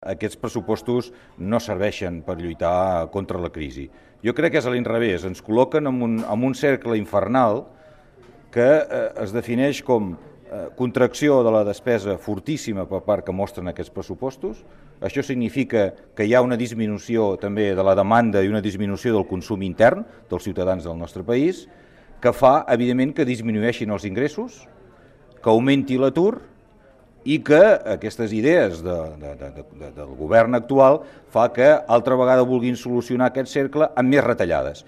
Aquests pressupostos no serveixen per lluitar contra la crisi. Jo crec que és a l'inrevés, ens col·loquen en un cercle infernal que es defineix com contracció de la despesa fortíssima per part que mostren aquests pressupostos. Això significa que hi ha una disminució també de la demanda i una disminució del consum intern dels ciutadans del nostre país, que fa, evidentment, que disminueixin els ingressos, que augmenti l'atur i que aquestes idees del govern actual fa que altra vegada vulguin solucionar aquest cercle amb més retallades.